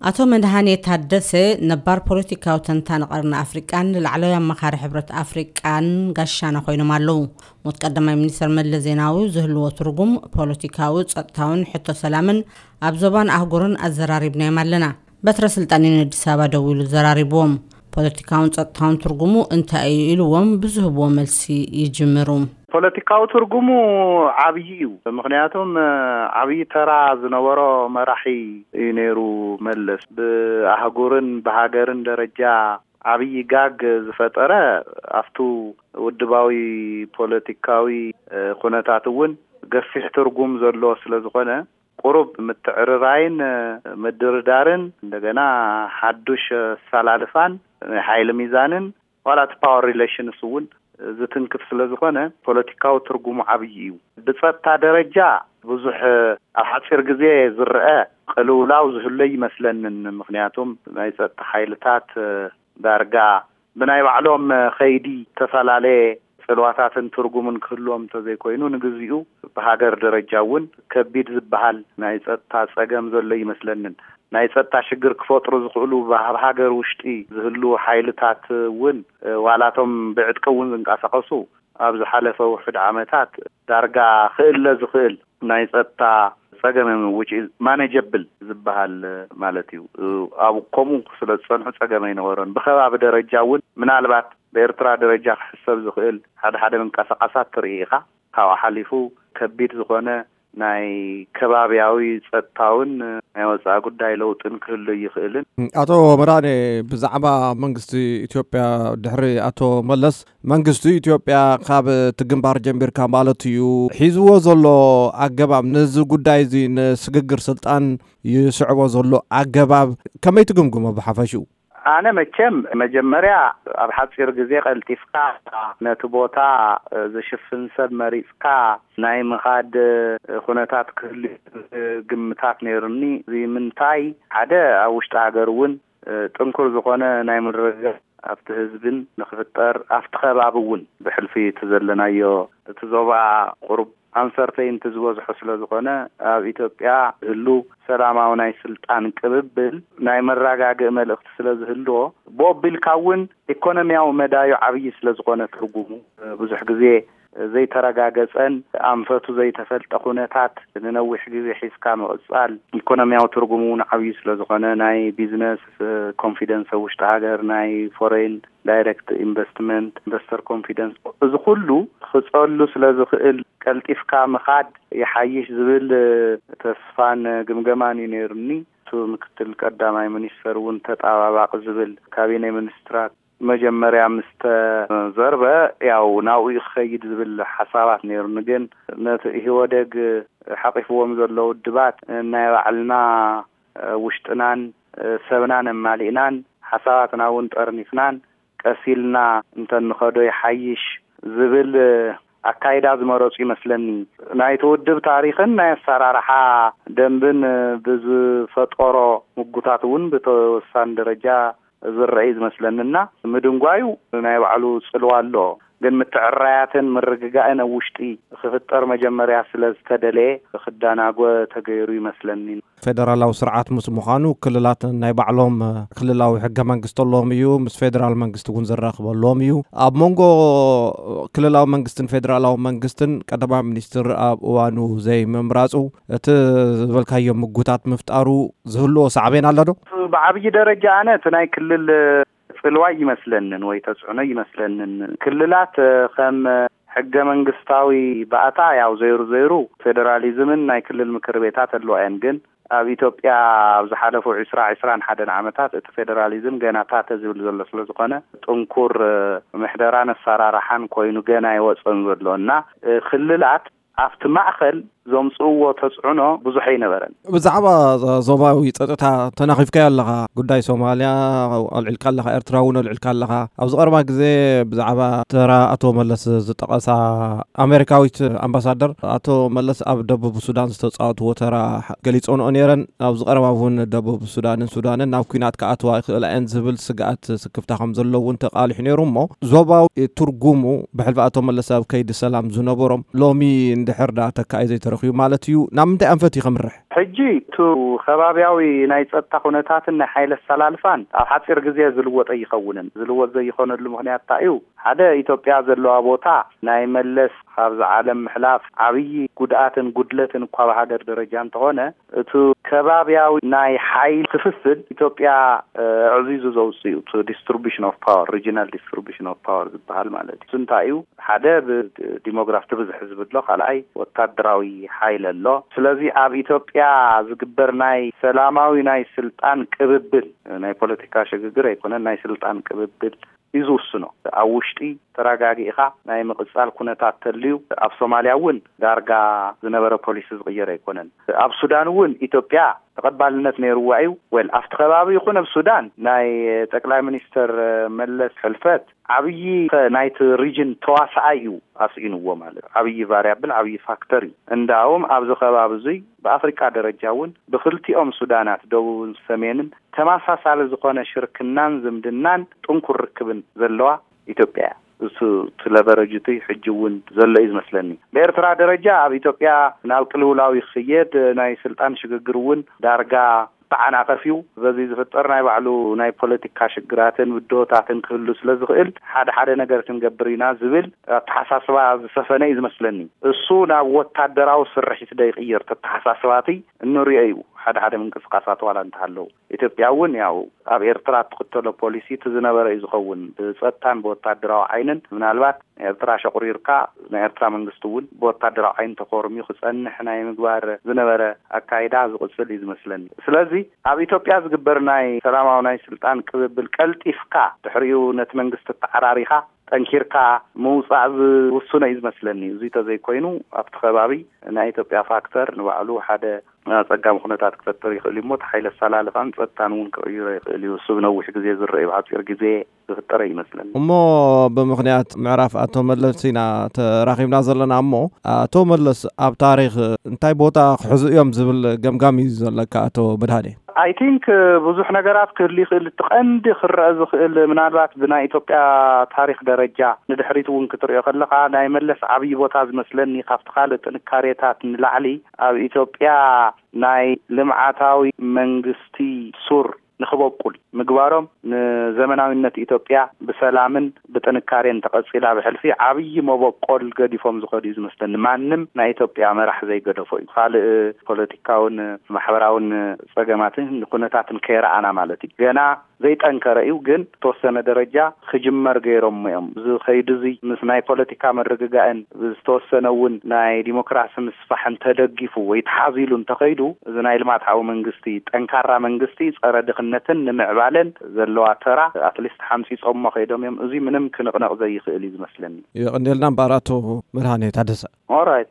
ኣቶ መድሃኔ ታደሰ ነባር ፖለቲካዊ ተንታኒ ቀርኒ ኣፍሪቃን ላዕለዋይ ኣማኻሪ ሕብረት ኣፍሪቃን ጋሻና ኮይኖም ኣለዉ። ሞት ቀዳማይ ሚኒስተር መለስ ዜናዊ ዝህልዎ ትርጉም ፖለቲካዊ፣ ጸጥታውን ሕቶ ሰላምን ኣብ ዞባን ኣህጉርን ኣዘራሪብናዮም ኣለና። በትረ ስልጣን ዩን ኣዲስ ኣበባ ደዊሉ ዘራሪብዎም። ፖለቲካውን ጸጥታውን ትርጉሙ እንታይ እዩ ኢልዎም ብዝህብዎ መልሲ ይጅምሩ። ፖለቲካዊ ትርጉሙ ዓብዪ እዩ። ምኽንያቱም ዓብዪ ተራ ዝነበሮ መራሒ እዩ ነይሩ መለስ። ብኣህጉርን ብሃገርን ደረጃ ዓብዪ ጋግ ዝፈጠረ ኣብቱ ውድባዊ ፖለቲካዊ ኩነታት እውን ገፊሕ ትርጉም ዘለዎ ስለ ዝኾነ፣ ቁሩብ ምትዕርራይን ምድርዳርን፣ እንደገና ሓዱሽ ኣሰላልፋን ናይ ሓይሊ ሚዛንን ዋላ እቲ ፓወር ሪሌሽንስ እውን ዝትንክፍ ስለ ዝኾነ፣ ፖለቲካዊ ትርጉሙ ዓብዪ እዩ። ብጸጥታ ደረጃ ብዙሕ ኣብ ሓጺር ግዜ ዝረአ ቅልውላው ዝህሎ ይመስለንን። ምኽንያቱም ናይ ጸጥታ ሓይልታት ዳርጋ ብናይ ባዕሎም ከይዲ ዝተፈላለየ ጽልዋታትን ትርጉምን ክህልዎም እንተዘይኮይኑ፣ ንግዚኡ ብሃገር ደረጃ እውን ከቢድ ዝበሃል ናይ ጸጥታ ጸገም ዘሎ ይመስለንን። ናይ ጸጥታ ሽግር ክፈጥሩ ዝኽእሉ ኣብ ሃገር ውሽጢ ዝህልዉ ሓይልታት እውን፣ ዋላቶም ብዕጥቂ እውን ዝንቀሳቐሱ፣ ኣብ ዝሓለፈ ውሑድ ዓመታት ዳርጋ ክእለ ዝኽእል ናይ ጸጥታ ጸገም እዮም፣ which is manageable ዝበሃል ማለት እዩ። ኣብ ከምኡ ስለ ዝጸንሑ ጸገም ኣይነበሮን። ብከባቢ ደረጃ እውን ምናልባት ብኤርትራ ደረጃ ክሕሰብ ዝኽእል ሓደ ሓደ ምንቀሳቐሳት ትርኢ ኢኻ። ካብኡ ሓሊፉ ከቢድ ዝኾነ ናይ ከባብያዊ ጸጥታውን ናይ ወጻኢ ጉዳይ ለውጥን ክህሉ ይኽእልን። ኣቶ መድሃኔ፣ ብዛዕባ መንግስቲ ኢትዮጵያ ድሕሪ ኣቶ መለስ፣ መንግስቲ ኢትዮጵያ ካብ እቲ ግንባር ጀሚርካ ማለት እዩ፣ ሒዝዎ ዘሎ ኣገባብ፣ ነዚ ጉዳይ እዚ ንስግግር ስልጣን ይስዕቦ ዘሎ ኣገባብ ከመይ ትግምግሞ ብሓፈሽኡ? ኣነ መቸም መጀመርያ ኣብ ሓጺር ግዜ ቀልጢፍካ ነቲ ቦታ ዝሽፍን ሰብ መሪጽካ ናይ ምኻድ ኩነታት ክህሉ ግምታት ነይሩኒ። እዚ ምንታይ፣ ሓደ ኣብ ውሽጢ ሃገር እውን ጥንኩር ዝኾነ ናይ ምርግጋእ ኣብቲ ህዝብን ንክፍጠር፣ ኣብቲ ከባቢ እውን ብሕልፊ እቲ ዘለናዮ እቲ ዞባ ቁሩብ ኣንሰርተይንቲ ዝበዝሖ ስለ ዝኾነ፣ ኣብ ኢትዮጵያ ዝህሉ ሰላማዊ ናይ ስልጣን ቅብብል ናይ መረጋግኢ መልእኽቲ ስለ ዝህልዎ፣ ብኡ ኣቢልካ እውን ኢኮኖሚያዊ መዳዩ ዓብዪ ስለ ዝኾነ ትርጉሙ፣ ብዙሕ ግዜ ዘይተረጋገጸን ኣንፈቱ ዘይተፈልጠ ኩነታት ንነዊሕ ግዜ ሒዝካ ምቕጻል፣ ኢኮኖሚያዊ ትርጉሙ እውን ዓብዪ ስለ ዝኾነ፣ ናይ ቢዝነስ ኮንፊደንስ ኣብ ውሽጢ ሃገር፣ ናይ ፎሬን ዳይሬክት ኢንቨስትመንት፣ ኢንቨስተር ኮንፊደንስ፣ እዚ ኩሉ ክጸሉ ስለ ዝኽእል፣ ቀልጢፍካ ምኻድ ይሓይሽ ዝብል ተስፋን ግምገማን እዩ ነይሩኒ። እቱ ምክትል ቀዳማይ ሚኒስተር እውን ተጣባባቂ ዝብል ካቢኔ ሚኒስትራት መጀመርያ ምስ ተዘርበ፣ ያው ናብኡ ክኸይድ ዝብል ሓሳባት ነይሩኒ። ግን ነቲ ኢህወደግ ሓቂፍዎም ዘሎ ውድባት ናይ ባዕልና ውሽጥናን ሰብናን ኣማሊእናን ሓሳባትና እውን ጠርኒፍናን ቀስ ኢልና እንተንኸዶ ይሓይሽ ዝብል ኣካይዳ ዝመረጹ ይመስለኒ። ናይቲ ውድብ ታሪኽን ናይ ኣሰራርሓ ደንብን ብዝፈጠሮ ምጉታት እውን ብተወሳኒ ደረጃ ዝረአ እዩ ዝመስለኒ። እና ምድንጓዩ ናይ ባዕሉ ጽልዋ ኣለዎ። ግን ምትዕራያትን ምርግጋእን ኣብ ውሽጢ ክፍጠር መጀመርያ ስለ ዝተደለየ ክዳናጎ ተገይሩ ይመስለኒ። ፌደራላዊ ስርዓት ምስ ምዃኑ ክልላት ናይ ባዕሎም ክልላዊ ሕገ መንግስቲ ኣለዎም እዩ። ምስ ፌደራል መንግስቲ እውን ዘራኽበሎም እዩ። ኣብ መንጎ ክልላዊ መንግስትን ፌደራላዊ መንግስትን ቀዳማይ ሚኒስትር ኣብ እዋኑ ዘይምምራጹ እቲ ዝበልካዮ ምጉታት ምፍጣሩ ዝህልዎ ሳዕቤን ኣሎ ዶ? ብዓብዪ ደረጃ ኣነ እቲ ናይ ክልል ጽልዋ ይመስለንን ወይ ተጽዕኖ ይመስለንን። ክልላት ከም ሕገ መንግስታዊ ባእታ ያው ዘይሩ ዘይሩ ፌደራሊዝምን ናይ ክልል ምክር ቤታት ኣለዋ እየን። ግን ኣብ ኢትዮጵያ ኣብ ዝሓለፉ ዕስራ ዕስራን ሓደን ዓመታት እቲ ፌደራሊዝም ገና ታተ ዝብል ዘሎ ስለ ዝኾነ፣ ጥንኩር ምሕደራን ኣሰራርሓን ኮይኑ ገና ኣይወፀን ዘሎ እና ክልላት ኣብቲ ማእኸል ዘምፅእዎ ተፅዕኖ ብዙሕ ኣይነበረን። ብዛዕባ ዞባዊ ፀጥታ ተናኺፍካዮ ኣለኻ። ጉዳይ ሶማልያ ኣልዒልካ ኣለኻ፣ ኤርትራ እውን ኣልዒልካ ኣለኻ። ኣብዚ ቀረባ ግዜ ብዛዕባ ተራ ኣቶ መለስ ዝጠቐሳ ኣሜሪካዊት ኣምባሳደር፣ ኣቶ መለስ ኣብ ደቡብ ሱዳን ዝተፃወትዎ ተራ ገሊፆንኦ ነይረን። ኣብዚ ቀረባ እውን ደቡብ ሱዳንን ሱዳንን ናብ ኲናት ክኣትዋ ይኽእላ እየን ዝብል ስግኣት ስክፍታ ከም ዘሎ እውን ተቃሊሑ ነይሩ። እሞ ዞባዊ ትርጉሙ ብሕልፊ ኣቶ መለስ ኣብ ከይዲ ሰላም ዝነበሮም ሎሚ እንድሕር ዳ ተካኢ ዘይተረ ረኺቡ ማለት እዩ? ናብ ምንታይ ኣንፈት እዩ ከምርሕ? ሕጂ እቲ ከባብያዊ ናይ ጸጥታ ኩነታትን ናይ ሓይሊ ኣሰላልፋን ኣብ ሓጺር ግዜ ዝልወጥ ኣይኸውንን። ዝልወጥ ዘይኾነሉ ምኽንያት እንታይ እዩ? ሓደ፣ ኢትዮጵያ ዘለዋ ቦታ ናይ መለስ ካብዚ ዓለም ምሕላፍ ዓብዪ ጉድኣትን ጉድለትን እኳ ብሃገር ደረጃ እንተኾነ፣ እቲ ከባብያዊ ናይ ሓይሊ ክፍፍል ኢትዮጵያ ኣዕዚዙ ዘውፅእ እዩ። እቲ distribution of power፣ regional distribution of power ዝበሃል ማለት እዩ። እንታይ እዩ? ሓደ፣ ብዲሞግራፊ ብዝሕ ዝብሎ፣ ካልኣይ ወታደራዊ ሓይል ኣሎ። ስለዚ ኣብ ኢትዮጵያ ዝግበር ናይ ሰላማዊ ናይ ስልጣን ቅብብል፣ ናይ ፖለቲካ ሽግግር ኣይኮነን፣ ናይ ስልጣን ቅብብል እዩ ዝውስኖ። ኣብ ውሽጢ ተረጋጊእኻ ናይ ምቕጻል ኩነታት ተልዩ፣ ኣብ ሶማልያ እውን ዳርጋ ዝነበረ ፖሊሲ ዝቕየር ኣይኮነን። ኣብ ሱዳን እውን ኢትዮጵያ ተቐባልነት ነይርዋ እዩ። ወል ኣብቲ ከባቢ ይኹን ኣብ ሱዳን ናይ ጠቅላይ ሚኒስትር መለስ ሕልፈት ዓብዪ ናይቲ ሪጅን ተዋሳኣይ እዩ ኣስኢንዎ። ማለት ዓብዪ ቫሪያብል፣ ዓብዪ ፋክተር እዩ። እንዳውም ኣብዚ ከባቢ እዙይ ብኣፍሪቃ ደረጃ እውን ብክልቲኦም ሱዳናት ደቡብን ሰሜንን ተመሳሳሊ ዝኾነ ሽርክናን ዝምድናን ጥንኩር ርክብን ዘለዋ ኢትዮጵያ እያ። እሱ እቲ ለቨረጅ እቲ ሕጂ እውን ዘሎ እዩ ዝመስለኒ። ብኤርትራ ደረጃ ኣብ ኢትዮጵያ ናብ ቅልውላው ይኽየድ፣ ናይ ስልጣን ሽግግር እውን ዳርጋ ተዓናቐፍ እዩ። በዚ ዝፍጠር ናይ ባዕሉ ናይ ፖለቲካ ሽግራትን ብድሆታትን ክህሉ ስለ ዝኽእል ሓደ ሓደ ነገር ክንገብር ኢና ዝብል ኣተሓሳስባ ዝሰፈነ እዩ ዝመስለኒ። እሱ ናብ ወታደራዊ ስርሒት ዶ ይቕየር ተተሓሳስባትይ እንሪኦ እዩ። ሓደ ሓደ ምንቅስቃሳት ዋላ እንተሃለዉ ኢትዮጵያ እውን ያው ኣብ ኤርትራ እትኽተሎ ፖሊሲ እቲ ዝነበረ እዩ ዝኸውን። ብፀጥታን ብወታደራዊ ዓይንን ምናልባት ኤርትራ ሸቑሪርካ ናይ ኤርትራ መንግስቲ እውን ብወታደራዊ ዓይን ተኾርምዩ ክፀንሕ ናይ ምግባር ዝነበረ ኣካይዳ ዝቕፅል እዩ ዝመስለኒ። ስለዚ ኣብ ኢትዮጵያ ዝግበር ናይ ሰላማዊ ናይ ስልጣን ቅብብል ቀልጢፍካ ድሕሪኡ ነቲ መንግስቲ ተዓራሪኻ ጠንኪርካ ምውፃእ ዝውስኖ እዩ ዝመስለኒ። እዚ ተዘይኮይኑ ኣብቲ ከባቢ ናይ ኢትዮጵያ ፋክተር ንባዕሉ ሓደ ኣፀጋሚ ኩነታት ክፈጥር ይኽእል እዩ እሞ፣ እቲ ሓይሊ ኣሰላልፋን ፀጥታን እውን ክቕይሮ ይኽእል እዩ። እሱ ብነዊሕ ግዜ ዝረአ እዩ፣ ብሓፂር ግዜ ዝፍጠረ ይመስለኒ። እሞ ብምኽንያት ምዕራፍ ኣቶ መለስ ኢና ተራኺብና ዘለና እሞ፣ ኣቶ መለስ ኣብ ታሪኽ እንታይ ቦታ ክሕዙ እዮም ዝብል ገምጋም እዩ ዘለካ ኣቶ መድሃኔ? I think ብዙሕ ነገራት ክህሉ ይኽእል። እቲ ቀንዲ ክረአ ዝኽእል ምናልባት ብናይ ኢትዮጵያ ታሪኽ ደረጃ ንድሕሪት እውን ክትሪኦ ከለኻ ናይ መለስ ዓብዪ ቦታ ዝመስለኒ ካብቲ ካልእ ጥንካሬታት ንላዕሊ ኣብ ኢትዮጵያ ናይ ልምዓታዊ መንግስቲ ሱር ንክበቁል ምግባሮም ንዘመናዊነት ኢትዮጵያ ብሰላምን ብጥንካሬን ተቐፂላ ብሕልፊ ዓብዪ መበቆል ገዲፎም ዝኸዱ እዩ ዝመስለኒ። ማንም ናይ ኢትዮጵያ መራሕ ዘይገደፎ እዩ። ካልእ ፖለቲካውን ማሕበራውን ፀገማትን ኩነታትን ከይረኣና ማለት እዩ። ገና ዘይጠንከረ እዩ፣ ግን ዝተወሰነ ደረጃ ክጅመር ገይሮም እዮም። እዚ ከይዲ እዚ ምስ ናይ ፖለቲካ ምርግጋእን ብዝተወሰነ እውን ናይ ዲሞክራሲ ምስፋሕን ተደጊፉ ወይ ተሓዚሉ እንተኸይዱ፣ እዚ ናይ ልምዓታዊ መንግስቲ፣ ጠንካራ መንግስቲ ፀረ ድኽነትን ንምዕባለን ዘለዋ ተራ ኣትሊስት ሓምፂፆሞ ከይዶም እዮም። እዚ ምንም ክንቕነቕ ዘይኽእል እዩ ዝመስለኒ። የቐንየልና እምበኣር ኣቶ መድሃኔ ታደሰ። ኦራይት።